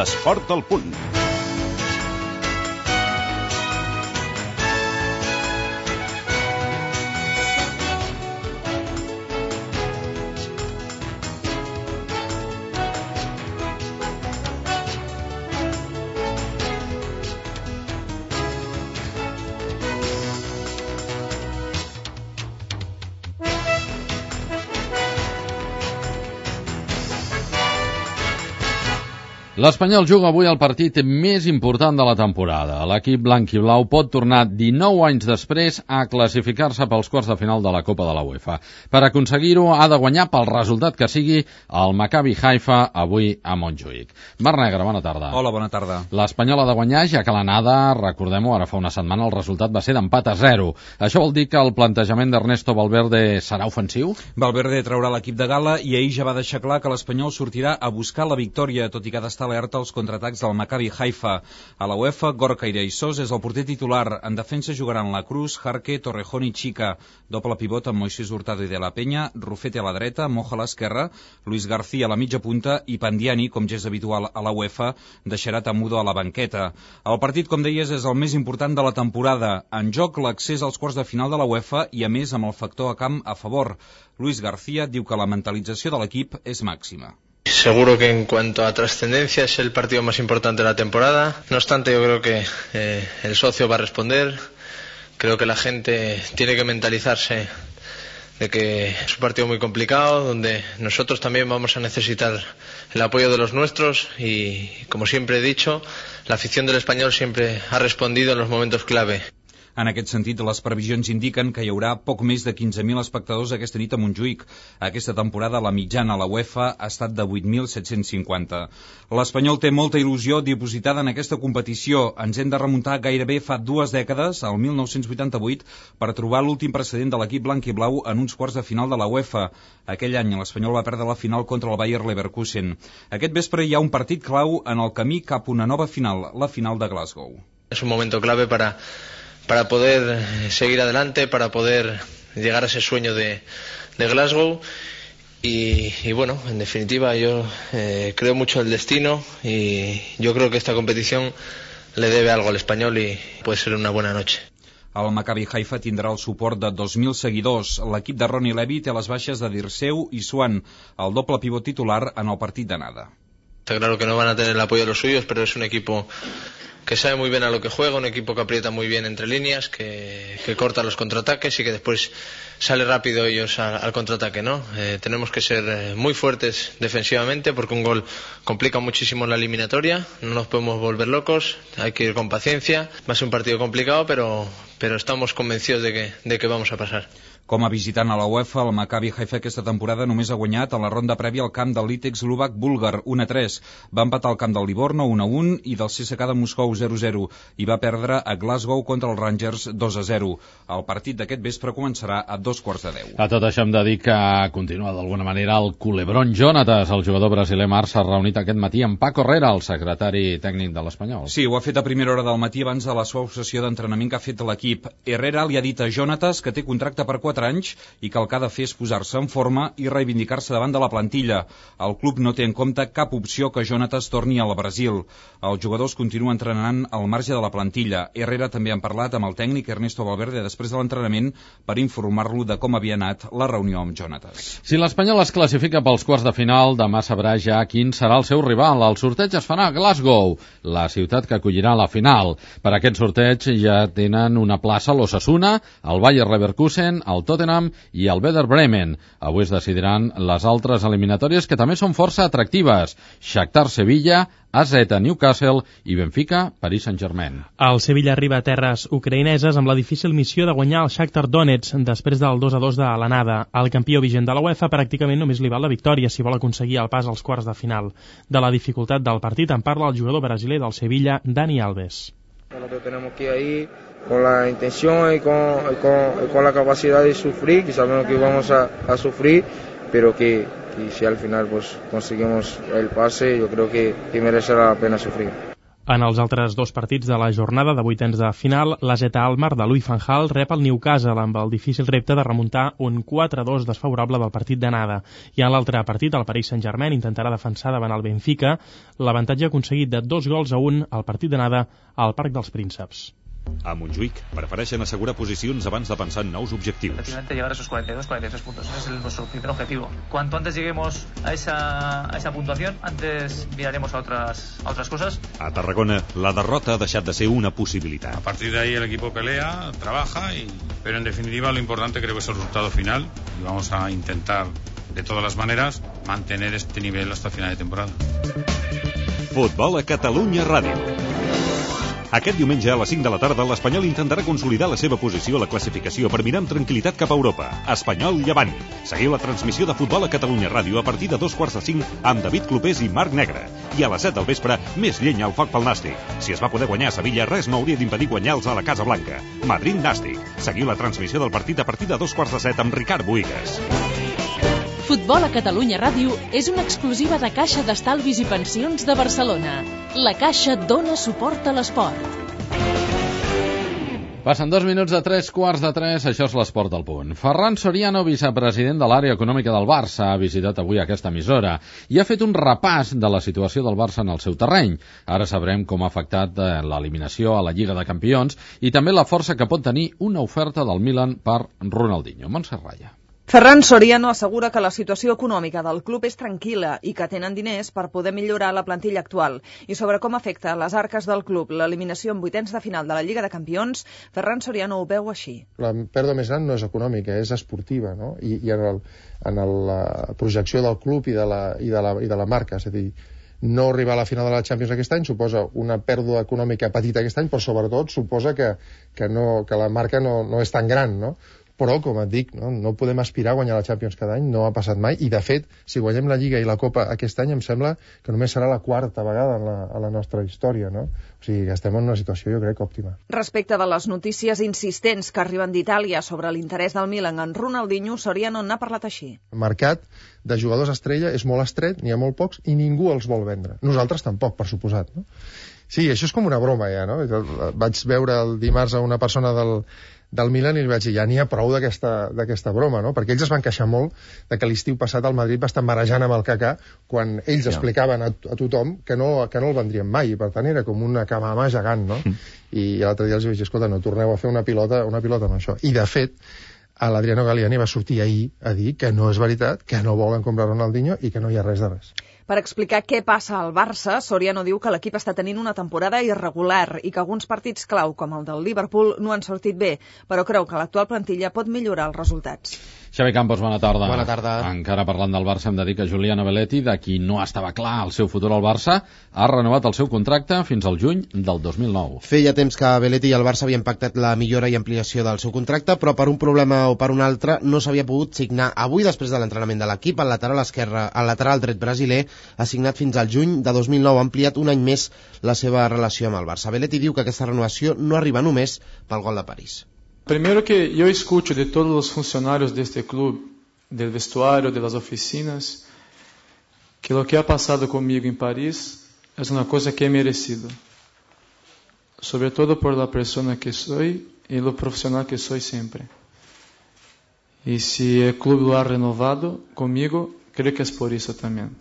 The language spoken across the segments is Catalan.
L'esport al punt. L'Espanyol juga avui el partit més important de la temporada. L'equip blanc i blau pot tornar 19 anys després a classificar-se pels quarts de final de la Copa de la UEFA. Per aconseguir-ho ha de guanyar pel resultat que sigui el Maccabi Haifa avui a Montjuïc. Marc Negre, bona tarda. Hola, bona tarda. L'Espanyol ha de guanyar, ja que l'anada, recordem-ho, ara fa una setmana el resultat va ser d'empat a 0. Això vol dir que el plantejament d'Ernesto Valverde serà ofensiu? Valverde traurà l'equip de gala i ahir ja va deixar clar que l'Espanyol sortirà a buscar la victòria, tot i que ha d'estar alerta als contraatacs del Maccabi Haifa. A la UEFA, Gorka Iraisós és el porter titular. En defensa jugaran La Cruz, Jarque, Torrejón i Chica. Doble pivot amb Moisés Hurtado i De La Peña, Rufete a la dreta, Moja a l'esquerra, Luis García a la mitja punta i Pandiani, com ja és habitual a la UEFA, deixarà Tamudo a la banqueta. El partit, com deies, és el més important de la temporada. En joc l'accés als quarts de final de la UEFA i, a més, amb el factor a camp a favor. Luis García diu que la mentalització de l'equip és màxima. Seguro que en cuanto a trascendencia es el partido más importante de la temporada. No obstante, yo creo que el socio va a responder. Creo que la gente tiene que mentalizarse de que es un partido muy complicado, donde nosotros también vamos a necesitar el apoyo de los nuestros y, como siempre he dicho, la afición del Espanyol siempre ha respondido en los momentos clave. En aquest sentit, les previsions indiquen que hi haurà poc més de 15.000 espectadors aquesta nit a Montjuïc. Aquesta temporada la mitjana a la UEFA ha estat de 8.750. L'Espanyol té molta il·lusió dipositada en aquesta competició. Ens hem de remuntar gairebé fa 2 dècades, al 1988, per trobar l'últim precedent de l'equip blanc i blau en uns quarts de final de la UEFA. Aquell any l'Espanyol va perdre la final contra el Bayer Leverkusen. Aquest vespre hi ha un partit clau en el camí cap a una nova final, la final de Glasgow. És un momento clave para poder seguir adelante, para poder llegar a ese sueño de Glasgow y bueno, en definitiva yo creo mucho en el destino y yo creo que esta competición le debe algo al Espanyol y puede ser una buena noche. El Maccabi Haifa tindrà el suport de 2.000 seguidors. L'equip de Ronnie Levy té les baixes de Dirceu i Swan, el doble pivot titular en el partit d'anada. Está claro que no van a tener el apoyo de los suyos, pero es un equipo que sabe muy bien a lo que juega, un equipo que aprieta muy bien entre líneas, que corta los contraataques y que después sale rápido ellos al contraataque, ¿no? Tenemos que ser muy fuertes defensivamente porque un gol complica muchísimo la eliminatoria, no nos podemos volver locos, hay que ir con paciencia, va a ser un partido complicado, pero estamos convencidos de que vamos a pasar. Com a visitant a la UEFA, el Maccabi Haifa aquesta temporada només ha guanyat en la ronda prèvia al camp del Litex Lubac búlgar 1-3. Va empatar al camp del Livorno 1-1 i del CSKA de Moscou 0-0 i va perdre a Glasgow contra els Rangers 2-0. El partit d'aquest vespre començarà a 9:45. A tot això hem de dir que continua d'alguna manera el culebrón Jonatas. El jugador brasiler Marc s'ha reunit aquest matí amb Paco Herrera, el secretari tècnic de l'Espanyol. Sí, ho ha fet a primera hora del matí abans de la suau sessió d'entrenament que ha fet l'equip. Herrera li ha dit a Jonatas que té contracte per 4 anys i que el que ha de fer és posar-se en forma i reivindicar-se davant de la plantilla. El club no té en compte cap opció que Jonatas torni al Brasil. Els jugadors continuen entrenant al marge de la plantilla. Herrera també han parlat amb el tècnic Ernesto Valverde després de l'entrenament per informar-lo de com havia anat la reunió amb Jonatas. Si l'Espanyol es classifica pels quarts de final, demà sabrà ja quin serà el seu rival. El sorteig es farà a Glasgow, la ciutat que acollirà la final. Per aquest sorteig ja tenen una plaça l'Osasuna, el Bayer Leverkusen, el Tottenham i el Werder Bremen. Avui es decidiran les altres eliminatòries que també són força atractives. Shakhtar Sevilla, AZ Newcastle i Benfica Paris Saint-Germain. El Sevilla arriba a terres ucraïneses amb la difícil missió de guanyar el Shakhtar Donetsk després del 2-2 de l'anada. El campió vigent de la UEFA pràcticament només li val la victòria si vol aconseguir el pas als quarts de final. De la dificultat del partit en parla el jugador brasiler del Sevilla, Dani Alves. Nosotros tenemos que ir ahí con la intención y con la capacidad de sufrir, que sabemos que vamos a sufrir, pero que si al final pues conseguimos el pase, yo creo que merecerá la pena sufrir. En els altres dos partits de la jornada de vuitens de final, l'AZ Alkmaar de Louis van Gaal rep el Newcastle amb el difícil repte de remuntar un 4-2 desfavorable del partit d'anada. I en l'altre partit, el Paris Saint-Germain intentarà defensar davant el Benfica l'avantatge aconseguit de 2-1 al partit d'anada al Parc dels Prínceps. A Montjuïc prefereixen assegurar posicions abans de pensar en nous objectius. Efectivamente llegar a esos 42, 43 puntos, ese es nuestro primer objetivo. Cuanto antes lleguemos a esa puntuación, antes miraremos a otras cosas. A Tarragona, la derrota ha deixat de ser una possibilitat. A partir de ahí el equipo pelea, trabaja, pero en definitiva lo importante creo que es el resultado final y vamos a intentar de todas las maneras mantener este nivel hasta final de temporada. Futbol a Catalunya Ràdio. Aquest diumenge a les 5 de la tarda l'Espanyol intentarà consolidar la seva posició a la classificació per mirar amb tranquil·litat cap a Europa. Espanyol Llevant. Seguiu la transmissió de Futbol a Catalunya Ràdio a partir de 2:45 amb David Clopés i Marc Negre. I a les 7 del vespre, més llenya al foc pel Nàstic. Si es va poder guanyar a Sevilla, res no hauria d'impedir guanyar-los a la Casa Blanca. Madrid-Nàstic. Seguiu la transmissió del partit a partir de 2:45 amb Ricard Boigues. Futbol a Catalunya Ràdio és una exclusiva de Caixa d'Estalvis i Pensions de Barcelona. La Caixa dona suport a l'esport. Passen 2 minuts de 3:15, això és l'Esport al punt. Ferran Soriano, vicepresident de l'àrea econòmica del Barça, ha visitat avui aquesta emissora i ha fet un repàs de la situació del Barça en el seu terreny. Ara sabrem com ha afectat l'eliminació a la Lliga de Campions i també la força que pot tenir una oferta del Milan per Ronaldinho. Montserrat Raya. Ferran Soriano assegura que la situació econòmica del club és tranquil·la i que tenen diners per poder millorar la plantilla actual. I sobre com afecta a les arques del club l'eliminació en vuitens de final de la Lliga de Campions, Ferran Soriano ho veu així. La pèrdua més gran no és econòmica, és esportiva, no? I en la projecció del club i de la marca, és a dir, no arribar a la final de la Champions aquest any suposa una pèrdua econòmica petita aquest any, però sobretot suposa que la marca no és tan gran, no? Però, com et dic, no podem aspirar a guanyar la Champions cada any, no ha passat mai, i de fet, si guanyem la Lliga i la Copa aquest any, em sembla que només serà la quarta vegada a la nostra història, no? O sigui, que estem en una situació, jo crec, òptima. Respecte de les notícies insistents que arriben d'Itàlia sobre l'interès del Milan en Ronaldinho, Soriano n'ha parlat així. El mercat de jugadors estrella és molt estret, n'hi ha molt pocs, i ningú els vol vendre. Nosaltres tampoc, per suposat, no? Sí, això és com una broma, ja, no? Vaig veure el dimarts a una persona del Milan i li vaig dir, ja n'hi ha prou d'aquesta broma, no? Perquè ells es van queixar molt de que l'estiu passat el Madrid va estar marejant amb el Kaká quan ells explicaven a tothom que no el vendrien mai, i per tant era com una camama gegant, no? I l'altre dia els vaig dir, escolta, no torneu a fer una pilota amb això. I de fet, l'Adriano Galliani va sortir ahir a dir que no és veritat, que no volen comprar Ronaldinho i que no hi ha res de res. Per explicar què passa al Barça, Soriano diu que l'equip està tenint una temporada irregular i que alguns partits clau, com el del Liverpool, no han sortit bé, però creu que l'actual plantilla pot millorar els resultats. Xavi Campos, bona tarda. Bona tarda. Encara parlant del Barça, hem de dir que Giuliano Belletti, de qui no estava clar el seu futur al Barça, ha renovat el seu contracte fins al juny del 2009. Feia temps que Belletti i el Barça havien pactat la millora i ampliació del seu contracte, però per un problema o per un altre no s'havia pogut signar. Avui, després de l'entrenament de l'equip, el lateral dret brasiler ha signat fins al juny de 2009, ha ampliat un any més la seva relació amb el Barça. Belletti diu que aquesta renovació no arriba només pel gol de París. Primero que yo escucho de todos los funcionarios de este club, del vestuario, de las oficinas, que lo que ha pasado conmigo en París es una cosa que he merecido. Sobre todo por la persona que soy y lo profesional que soy siempre. Y si el club lo ha renovado conmigo, creo que es por eso también.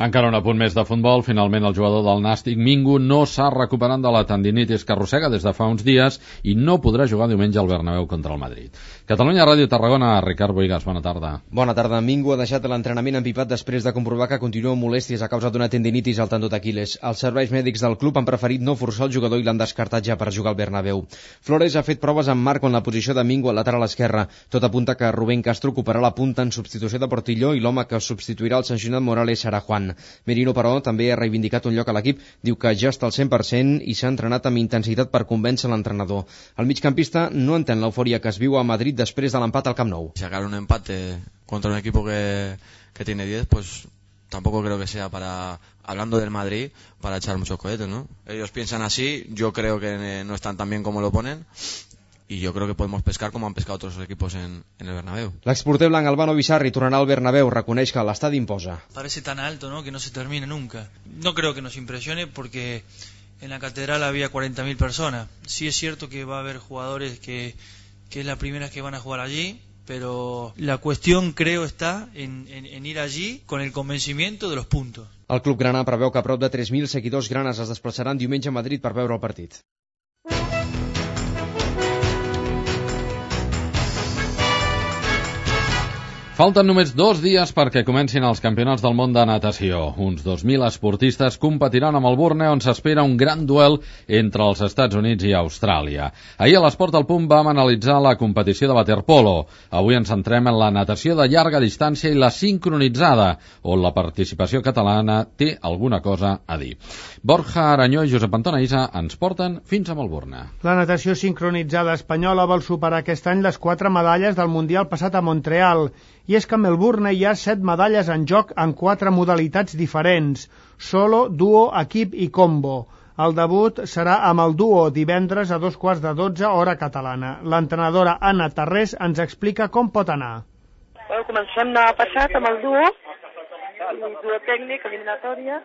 Encara un apunt més de futbol. Finalment el jugador del Nàstic, Mingo, no s'ha recuperat de la tendinitis que arrossega des de fa uns dies i no podrà jugar diumenge al Bernabéu contra el Madrid. Catalunya Ràdio Tarragona, Ricard Boigas, bona tarda. Bona tarda. Mingo ha deixat l'entrenament empipat després de comprovar que continua amb molèsties a causa d'una tendinitis al tendó d'Aquiles. Els serveis mèdics del club han preferit no forçar el jugador i l'han descartat ja per jugar al Bernabéu. Flores ha fet proves amb Marco en la posició de Mingo al lateral esquerre. Tot apunta que Rubén Castro ocuparà la punta en substitució de Portillo i l'home que substituirà el sancionat Morales serà Juan. Merino, però, també ha reivindicat un lloc a l'equip. Diu que ja està al 100% i s'ha entrenat amb intensitat per convèncer l'entrenador. El migcampista no entén l'eufòria que es viu a Madrid després de l'empat al Camp Nou. Sacar un empate contra un equipo que tiene 10, pues tampoco creo que sea para, hablando del Madrid, para echar muchos cohetes, ¿no? Ellos piensan así, yo creo que no están tan bien como lo ponen. Y yo creo que podemos pescar como han pescado otros equipos en el Bernabéu. L'exporter blanc Albano Bizarri tornarà al Bernabéu, reconeix que l'estadi imposa. Parece tan alto, ¿no?, que no se termina nunca. No creo que nos impresione porque en la catedral había 40.000 personas. Sí es cierto que va a haber jugadores que es la primera vez que van a jugar allí, pero la cuestión creo está en ir allí con el convencimiento de los puntos. El club grana preveu que prop de 3.000 seguidors granes es desplaçaran diumenge a Madrid per veure el partit. Falten només 2 dies perquè comencin els campionats del món de natació. Uns 2.000 esportistes competiran a Melbourne, on s'espera un gran duel entre els Estats Units i Austràlia. Ahir a l'Esport al Punt vam analitzar la competició de waterpolo. Avui ens centrem en la natació de llarga distància i la sincronitzada, on la participació catalana té alguna cosa a dir. Borja Aranyó i Josep Anton Aïssa ens porten fins a Melbourne. La natació sincronitzada espanyola vol superar aquest any les 4 medalles del Mundial passat a Montreal. I és que a Melbourne hi ha 7 medalles en joc en 4 modalitats diferents: solo, duo, equip i combo. El debut serà amb el duo divendres a 2:15 hora catalana. L'entrenadora Anna Tarrés ens explica com pot anar. Bueno, comencem demà passat amb el duo tècnic, eliminatòria.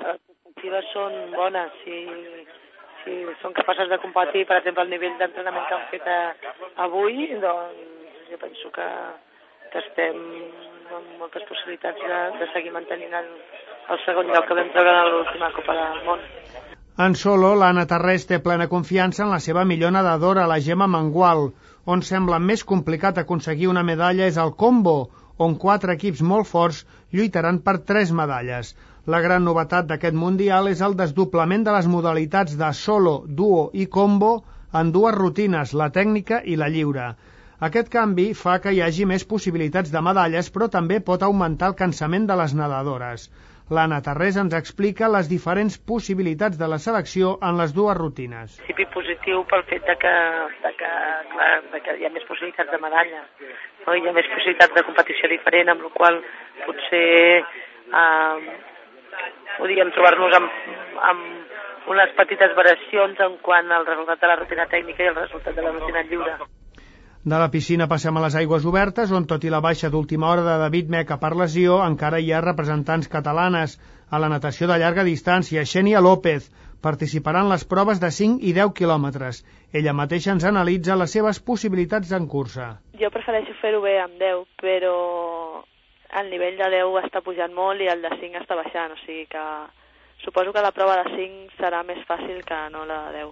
Les perspectives són bones. Si són capaces de competir, per exemple, el nivell d'entrenament que han fet avui, doncs jo penso que estem amb moltes possibilitats de seguir mantenint el segon lloc que vam treure a l'última Copa del Món. En solo, l'Anna Tarrés té plena confiança en la seva millor nedadora, la Gemma Mangual. On sembla més complicat aconseguir una medalla és el combo, on 4 equips molt forts lluitaran per 3 medalles. La gran novetat d'aquest Mundial és el desdoblament de les modalitats de solo, duo i combo en 2 rutines, la tècnica i la lliure. Aquest canvi fa que hi hagi més possibilitats de medalles, però també pot augmentar el cansament de les nedadores. L'Anna Tarrés ens explica les diferents possibilitats de la selecció en les 2 rutines. Principi positiu pel fet de que hi ha més possibilitats de medalla, no? Hi ha més possibilitats de competició diferent, amb la qual potser podríem trobar-nos amb unes petites variacions en quant al resultat de la rutina tècnica i el resultat de la rutina lliure. De la piscina passem a les aigües obertes, on tot i la baixa d'última hora de David Meca per lesió, encara hi ha representants catalanes. A la natació de llarga distància, Xènia López participarà en les proves de 5 i 10 quilòmetres. Ella mateixa ens analitza les seves possibilitats en cursa. Jo prefereixo fer-ho bé amb 10, però el nivell de 10 està pujant molt i el de 5 està baixant, o sigui que suposo que la prova de 5 serà més fàcil que no la de 10.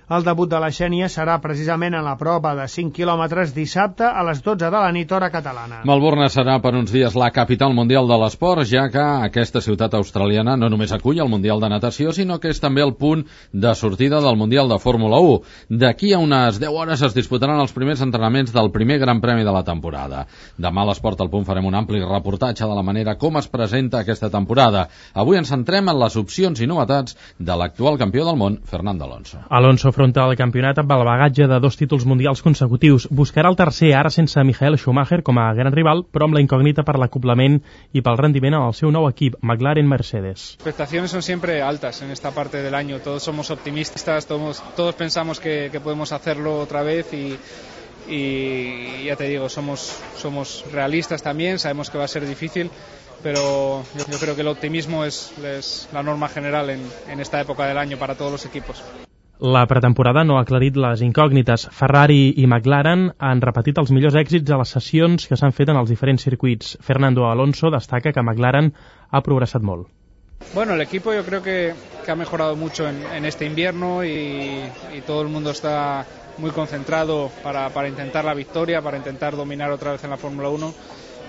El debut de la Xènia serà precisament en la prova de 5 quilòmetres dissabte a les 12 de la nit hora catalana. Melbourne serà per uns dies la capital mundial de l'esport, ja que aquesta ciutat australiana no només acull el Mundial de Natació, sinó que és també el punt de sortida del Mundial de Fórmula 1. D'aquí a unes 10 hores es disputaran els primers entrenaments del primer Gran Premi de la temporada. Demà a l'Esport al Punt farem un ampli reportatge de la manera com es presenta aquesta temporada. Avui ens centrem en les opcions i novetats de l'actual campió del món, Fernando Alonso. Alonso afronta el campionat amb el bagatge de 2 títols mundials consecutius. Buscarà el tercer, ara sense Michael Schumacher com a gran rival, però amb la incògnita per l'acoplament i pel rendiment en el seu nou equip, McLaren Mercedes. Las expectaciones son siempre altas en esta parte del año. Todos somos optimistas, todos pensamos que podemos hacerlo otra vez y ya te digo, somos realistas también, sabemos que va a ser difícil, pero yo creo que el optimismo es la norma general en esta época del año para todos los equipos. La pretemporada no ha aclarit les incògnites. Ferrari i McLaren han repetit els millors èxits a les sessions que s'han fet en els diferents circuits. Fernando Alonso destaca que McLaren ha progressat molt. Bueno, el equipo yo creo que ha mejorado mucho en este invierno y todo el mundo está muy concentrado para intentar la victoria, para intentar dominar otra vez en la Fórmula 1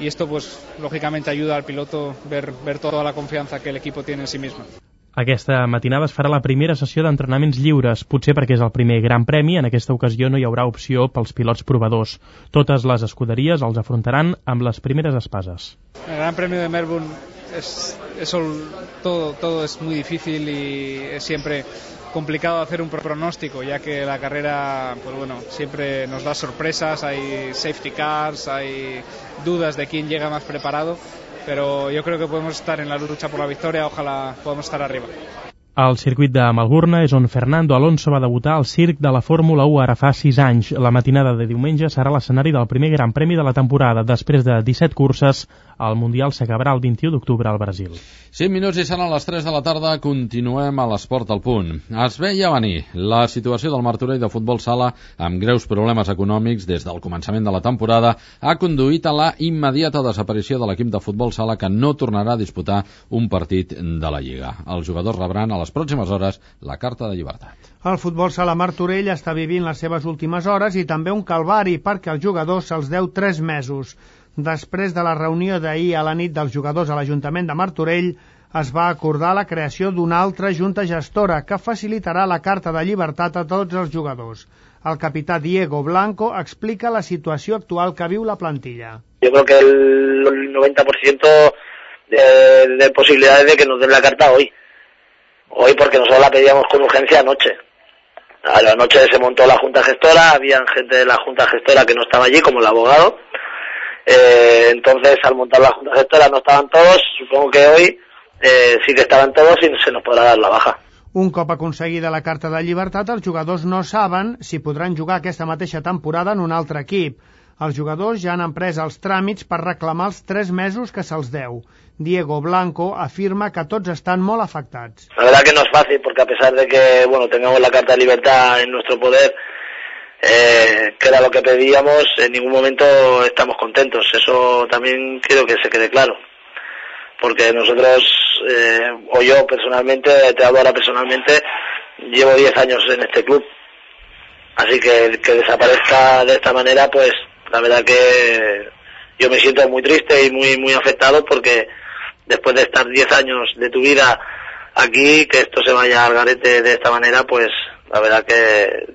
y esto pues lógicamente ayuda al piloto ver toda la confianza que el equipo tiene en sí mismo. Aquesta matinada es farà la primera sessió d'entrenaments lliures, potser perquè és el primer Gran Premi. En aquesta ocasió no hi haurà opció pels pilots provadors. Totes les escuderies els afrontaran amb les primeres espases. El Gran Premio de Melbourne todo es muy difícil y es siempre complicado hacer un pronóstico, ya que la carrera, pues bueno, siempre nos da sorpresas, hay safety cars, hay dudas de quién llega más preparado. Pero yo creo que podemos estar en la lucha por la victoria, ojalá podamos estar arriba. El circuit de Melbourne és on Fernando Alonso va debutar al circ de la Fórmula 1 ara fa 6 anys. La matinada de diumenge serà l'escenari del primer Gran Premi de la temporada. Després de 17 curses, el Mundial s'acabarà el 21 d'octubre al Brasil. 5 minuts i seran les 3 de la tarda. Continuem a l'Esport al punt. Es veia venir la situació del Martorell de futbol sala amb greus problemes econòmics des del començament de la temporada ha conduït a la immediata desaparició de l'equip de futbol sala, que no tornarà a disputar un partit de la Lliga. Els jugadors rebran a les pròximes hores la carta de llibertat. El futbol sala Martorell està vivint les seves últimes hores i també un calvari perquè als jugadors se'ls deu 3 mesos. Després de la reunió d'ahir a la nit dels jugadors a l'Ajuntament de Martorell, es va acordar la creació d'una altra junta gestora que facilitarà la carta de llibertat a tots els jugadors. El capità Diego Blanco explica la situació actual que viu la plantilla. Yo creo que el 90% de posibilidades de que nos den la carta hoy. Hoy porque nosotros la pedíamos con urgencia anoche. A la noche se montó la junta gestora, había gente de la junta gestora que no estaba allí, como el abogado. Entonces, al montar la junta gestora no estaban todos, supongo que hoy sí que estaban todos y se nos podrà dar la baja. Un cop aconseguida la carta de llibertat, els jugadors no saben si podran jugar aquesta mateixa temporada en un altre equip. Els jugadors ja han emprès els tràmits per reclamar els 3 mesos que se'ls deu. Diego Blanco afirma que tots estan molt afectats. La verdad que no es fácil, porque a pesar de que tengamos la carta de libertad en nuestro poder, que era lo que pedíamos, en ningún momento estamos contentos. Eso también quiero que se quede claro. Porque nosotros, o yo personalmente, te hablo ahora personalmente, llevo 10 años en este club. Así que desaparezca de esta manera, pues la verdad que yo me siento muy triste y muy afectado, porque después de estar 10 años de tu vida aquí, que esto se vaya al garete de esta manera, pues la verdad que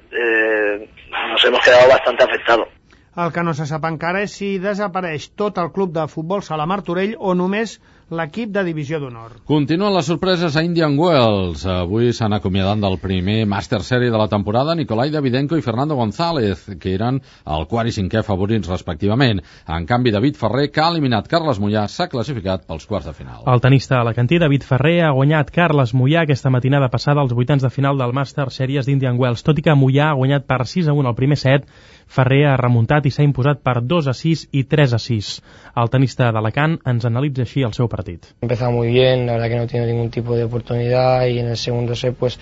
nos hemos quedado bastante afectados. El que no se sap encara és si desapareix tot el club de futbol sala Martorell o només l'equip de divisió d'honor. Continuen les sorpreses a Indian Wells. Avui s'han acomiadat del primer Master Series de la temporada Nicolai Davidenko i Fernando González, que eren el quart i cinquè favorits respectivament. En canvi, David Ferrer, que ha eliminat Carles Mollà, s'ha classificat pels quarts de final. El tenista alacantí David Ferrer ha guanyat Carles Mollà aquesta matinada passada als vuitens de final del Master Series d'Indian Wells. Tot i que Mollà ha guanyat per 6-1 al primer set, Ferrer ha remuntat i s'ha imposat per 2-6 i 3-6. El tenista d'Alacant ens analitza així el seu partit. He empezado muy bien, la verdad que no he tenido ningún tipo de oportunidad y en el segundo set, pues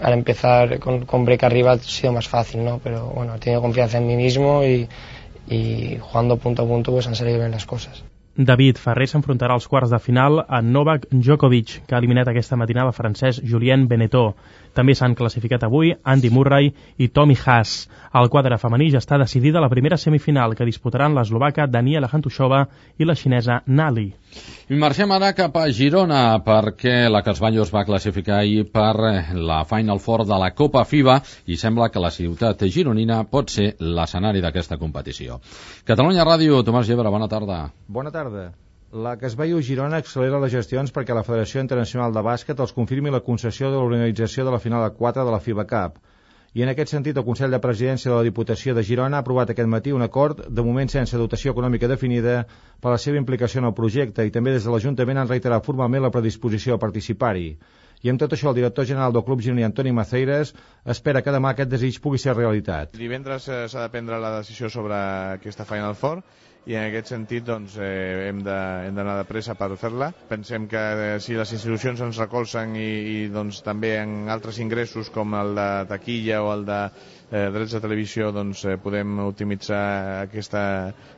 al empezar con break arriba ha sido más fácil, ¿no? Pero bueno, he tenido confianza en mí mismo y jugando punto a punto pues han salido bien las cosas. David Ferrer s'enfrontarà als quarts de final a Novak Djokovic, que ha eliminat aquesta matinada el francès Julien Benetó. També s'han classificat avui Andy Murray i Tommy Haas. Al quadre femení ja està decidida la primera semifinal, que disputaran l'eslovaca Daniela Hantushova i la xinesa Nali. I marxem ara cap a Girona, perquè la Casballos va classificar ahir per la Final Four de la Copa FIBA i sembla que la ciutat gironina pot ser l'escenari d'aquesta competició. Catalunya Ràdio, Tomàs Gebre, bona tarda. Bona tarda. La Casballos Girona accelera les gestions perquè la Federació Internacional de Bàsquet els confirmi la concessió de l'organització de la final a 4 de la FIBA Cup. I en aquest sentit, el Consell de Presidència de la Diputació de Girona ha aprovat aquest matí un acord, de moment sense dotació econòmica definida, per la seva implicació en el projecte, i també des de l'Ajuntament han reiterat formalment la predisposició a participar-hi. I amb tot això, el director general del Club Gironí, Antoni Maceiras, espera que demà aquest desig pugui ser realitat. Divendres s'ha de prendre la decisió sobre aquesta Final Four, i en aquest sentit doncs, hem d'anar de pressa per fer-la. Pensem que si les institucions ens recolzen i doncs, també en altres ingressos com el de taquilla o el de drets de televisió doncs, podem optimitzar aquesta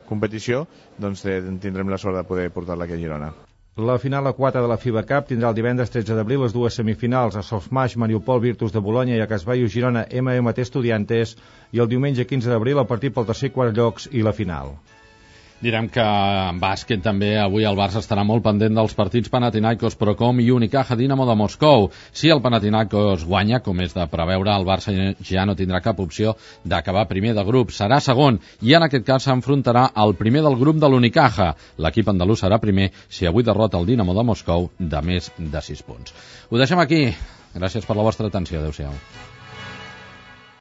competició, doncs tindrem la sort de poder portar-la aquí a Girona. La final a 4 de la FIBA Cup tindrà el divendres 13 d'abril les dues semifinals a Softmatch Mariupol Virtus de Bolonya i a Casballos Girona MMT Estudiantes, i el diumenge 15 d'abril el partit pel tercer i quart llocs i la final. Direm que en bàsquet també avui el Barça estarà molt pendent dels partits Panathinaikos Procom i Unicaja Dinamo de Moscou. Si el Panathinaikos guanya, com és de preveure, el Barça ja no tindrà cap opció d'acabar primer de grup. Serà segon i en aquest cas s'enfrontarà al primer del grup de l'Unicaja. L'equip andalús serà primer si avui derrota el Dinamo de Moscou de més de 6 punts. Ho deixem aquí. Gràcies per la vostra atenció. Adéu-siau.